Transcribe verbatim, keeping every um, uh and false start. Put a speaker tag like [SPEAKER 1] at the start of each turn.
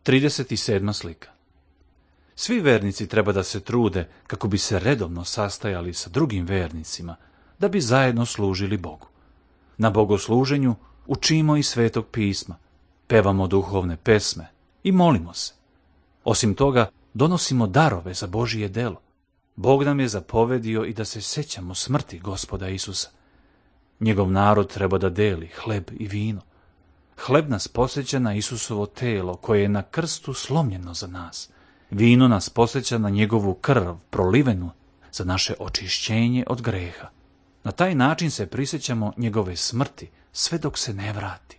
[SPEAKER 1] trideset sedma slika. Svi vernici treba da se trude kako bi se redovno sastajali sa drugim vernicima, da bi zajedno služili Bogu. Na bogosluženju učimo iz Svetog pisma, pevamo duhovne pesme i molimo se. Osim toga, donosimo darove za Božije delo. Bog nam je zapovedio i da se sećamo smrti Gospoda Isusa. Njegov narod treba da deli hleb i vino. Hleb nas podsjeća na Isusovo telo koje je na krstu slomljeno za nas. Vino nas podsjeća na njegovu krv prolivenu za naše očišćenje od greha. Na taj način se prisjećamo njegove smrti sve dok se ne vrati.